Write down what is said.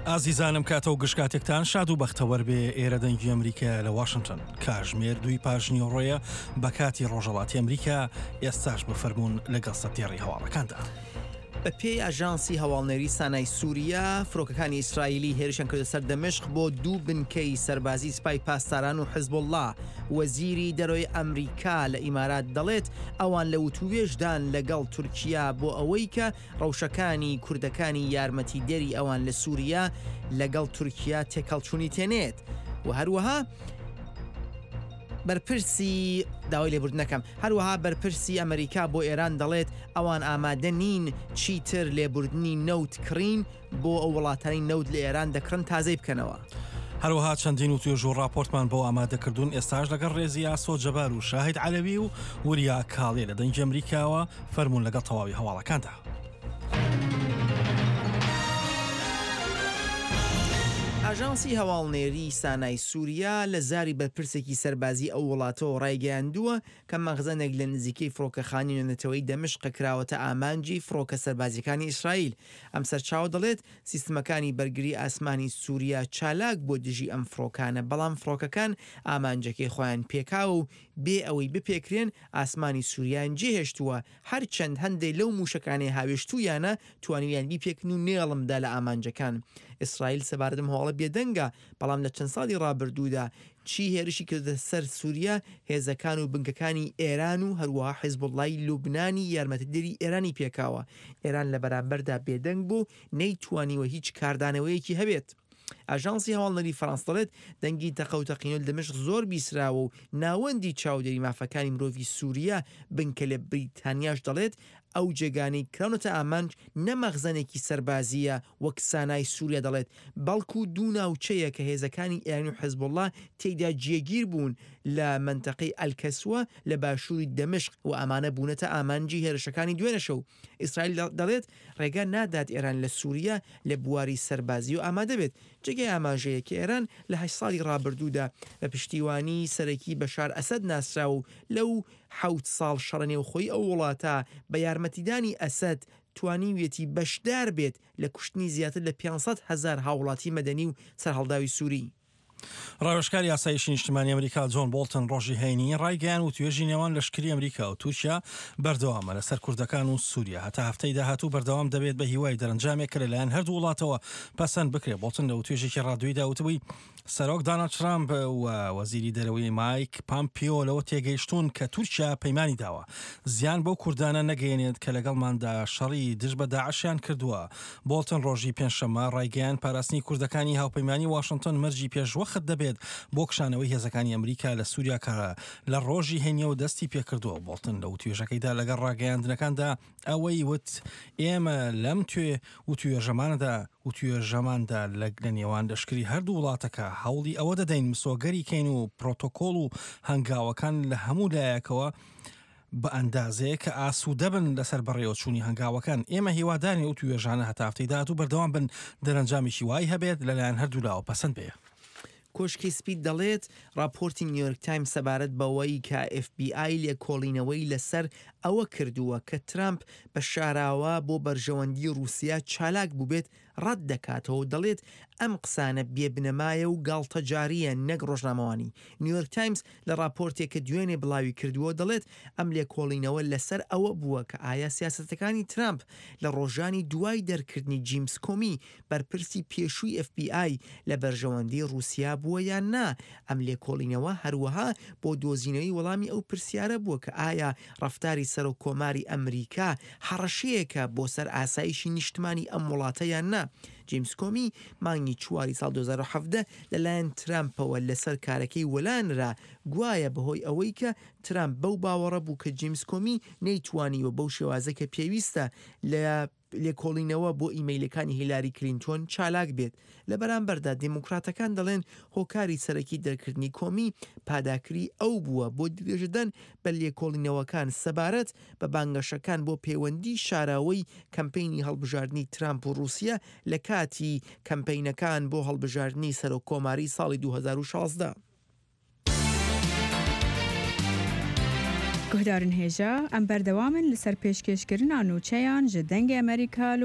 ئازیزانم کاتە و گشت کاتێکتان شاد و بەختەوەر بێ ئێرە دەنگی ئەمریکا لە واشنگتن کاژمێر دووی پاژنیوەڕۆیە بە کاتی ڕۆژەڵاتی ئەمریکا ئێستاش بفەرمونون لەگەڵ سەردێڕی هەواڵەکاندا. بە پێی ئاژانسی هەواڵنێری سانای سووریا، فرۆکەکانی ئیسرائیلی هێرشیان کردە سەر دەمشق بۆ دوو بنکەی سەربازی سپای پاسداران و حزبوڵڵا. وەزیری دەرەوەی ئەمریکا لە ئیمارات دەڵێت، ئەوان لە وتووێژدان لەگەڵ تورکیا بۆ ئەوەی کە ڕەوشەکانی کوردەکانی یارمەتیدەری ئەوان لە سووریا لەگەڵ تورکیا تێکهەڵچوونی تێنێت و هەروەها بەرپرسی داوای لێبوردنەکەم هەروەها بەرپرسی ئەمریکا بۆ ئێران دەڵێت ئەوان ئامادە نین چیتر لێبوردنی نەوت کڕین بۆ ئەو وڵاتانی نەوت لە ئێران دەکڕن تازەی بکەنەوە. هەروەها چەندین وتوێژ و ڕاپۆرتمان بۆ ئامادەکردوون ئێستاش لەگەڵ ڕێزی ئاسۆ جەبار و شاهید عەلەوی و وریا کاڵێ لە دەنگی ئەمریکاوە فەرموون لەگەڵ تەواوی هەواڵەکاندا. ئاژانسی هەواڵنێریی سانای سووریا لە زاری بەرپرسێکی سەربازیی ئەو وڵاتەوە ڕایگەیاندووە کە مەخزەنێک لە نزیکەی فڕۆکەخانەی نێونەتەوەیی دەمشق کراوەتە ئامانجی فڕۆکە سەربازییەکانی ئیسرائیل. ئەم سەرچاوە دەڵێت، سیستمەکانی بەرگری ئاسمانی سووریا چالاک بووە دژی ئەم فڕۆکانە، بەڵام فڕۆکەکان ئامانجەکەی خۆیان پێکاوە و بێ ئەوەی بپێکرێن ئاسمانی سووریایان جێهێشتووە، هەرچەند هەندێ لەو مووشەکانەی هاوێشتوویانە توانیویان بیپێکن و نێڵم دا لە ئامانجەکان. ئیسرائیل سەبارەت بەم هەواڵە بێدەنگە، بەڵام لە چەند ساڵی ڕابردوودا چی هێرشی کردۆتە سەر سووریا، هێزەکان و بنکەکانی ئێران و هەروەها حیزبوڵڵای لوبنانی یارمەتیدەری ئێرانی پێکاوە. ئێران لە بەرامبەردا بێدەنگ بوو و نەیتوانیوە هیچ کاردانەوەیەکی هەبێت. ئاژانسی هەواڵنێری فەرەنس دەڵێت، دەنگی تەقە و تەقینەوە لە دەمشق زۆر بیسراوە و ناوەندی چاودێری مافەکانی مرۆڤی سوریا بنکە لە بریتانیاش دەڵێت، ئەو جێگانەی کراونەتە ئامانج نە مەخزەنێکی سەربازییە وەک سانای سوریا دەڵێت، بەڵکو دوو ناوچەیە کە هێزەکانی ئێران و حزبوڵڵا تێیدا جێگیر بوون لە مەنتەقەی ئەلکەسوە لە باشووری دەمشق و ئەمانە بوونەتە ئامانجی هێرشەکانی دوێنێ شەو. ئیسرائیل دەڵێت، ڕێگا نادات ئێران لە سوریە لە بواری سەربازییەوە ئامادە بێت. جێگای ئاماژەیە کە ئێران لە هەشت ساڵی ڕابردوودا بە پشتیوانی سەرەکی بەشار ئەسەد ناسراوە و لەو حەوت ساڵ شەڕە نێوخۆیی ئەو وڵاتە بە یارمەتیدانی ئەسەد توانیویەتی بەشدار بێت لە کوشتنی زیاتر لە 500 هەزار هاووڵاتی مەدەنی و سەرهەڵداوی سوری. ڕاوێژکاری ئاسایشی نیشتمانی ئەمریکا جۆن بۆڵتن ڕۆژی هەینی ڕایگەیان وتوێژی نێوان لەشکری ئەمریکا و تورکیا بەردەوامە لەسەر کوردەکان و سووریا هەتا هەفتەی داهاتوو بەردەوام دەبێت بە هیوای دەرەنجامێک کە لەلایەن هەردوو وڵاتەوە پەسەند بکرێت بۆڵتن لە وتوێژێکی ڕادیۆیدا وتبووی سەرۆک داناڵد ترامپ و وەزیری دەرەوەی مایک پامپیۆ لەوە تێگەیشتوون کە تورکیا پەیمانی داوە زیان بەو کوردانە نەگەیەنێت کە لەگەڵماندا شەڕی دژ بە داعشیان کردووە. بۆڵتن ڕۆژی پێنجشەممە ڕایگەیاند پاراستنی کوردەکانی هاوپەیمانی واشنتۆن مەرجی پێشوەخت دەبێت بۆ کشانەوەی هێزەکانی ئەمریکا لە سووریا کە لە ڕۆژی هەینیەوە دەستی پێکردووە. بۆڵتن لە وتوێژەکەیدا لەگەڵ ڕاگەیاندنەکاندا ئەوەی وت ئێمە لەم توێ وتوێژەمانەدا وتوێژەماندا لە لە نێوان لەشکری هەردوو وڵاتەکە هەوڵی ئەوە دەدەین مسۆگەری کەین و پرۆتۆکۆڵ و هەنگاوەکان لە هەموو لایەکەوە بە ئەندازەیەک کە ئاسوودە بن لەسەر بەڕێوەچوونی هەنگاوەکان. ئێمە هیوادارین ئەو توێژانە هەتا هەفتەی داهاتوو بەردەوام بن، دەرەنجامێکی وای هەبێت لەلایەن هەردوولاوە پەسەند بێ. کۆشکی سپی دەڵێت، ڕاپۆرتی نیویۆرک تایمز سەبارەت بەوەی کە ئێف بی ئای لێکۆڵینەوەی لەسەر ئەوە کردووە کە ترامپ بە شاراوە بۆ بەرژەوەندی ڕووسیا چالاک بووبێت ڕەت دەکاتەوە و دەڵێت ئەم قسانە بێ بنەمایە و گاڵتەجارییە نەک ڕۆژنامەوانی. نیویۆرک تایمز لە ڕاپۆرتێک کە دوێنێ بڵاوی کردووە دەڵێت ئەم لێکۆڵینەوە لەسەر ئەوە بووە کە ئایا سیاسەتەکانی ترامپ لە ڕۆژانی دوای دەرکردنی جیمس کۆمی بەرپرسی پێشووی ئێف بی ئای لە بەرژەوەندی ڕووسیا بووە یان نا. ئەم لێکۆڵینەوە هەروەها بۆ دۆزینەوەی وەڵامی ئەو پرسیارە بووە کە ئایا ڕەفتاری سەرۆک کۆماری ئەمریکا هەڕەشەیەکە بۆ سەر ئاسایشی نیشتمانی ئەم وڵاتە یان نا. جیمس کۆمی مانگی چواری ساڵ 2017 لەلایەن ترامپەوە لەسەر کارەکەی وەلانرا، گوایە بەهۆی ئەوەی کە ترامپ بەو باوەڕە بوو کە جیمس کۆمی نەیتوانیوە بەو شێوازە کە پێویستە لە لێکۆڵینەوە بۆ ئیمەیلەکانی هیلاری کلینتۆن چالاک بێت. لە بەرامبەردا دیموکراتەکان دەڵێن هۆکاری سەرەکی دەرکردنی کۆمی پاداکری ئەو بووە بۆ درێژەدان بە لێکۆڵینەوەکان سەبارەت بە بانگەشەکان بۆ پەیوەندی شاراوەی کەمپەینی هەڵبژاردنی ترامپ و ڕووسیە لە کاتی کەمپەینەکان بۆ هەڵبژاردنی سەرۆک کۆماری ساڵی 2016. Guhdarên hêja, em berdewam in li ser pêşkêşkirina nûçeyan ji Dengê Amerîka li.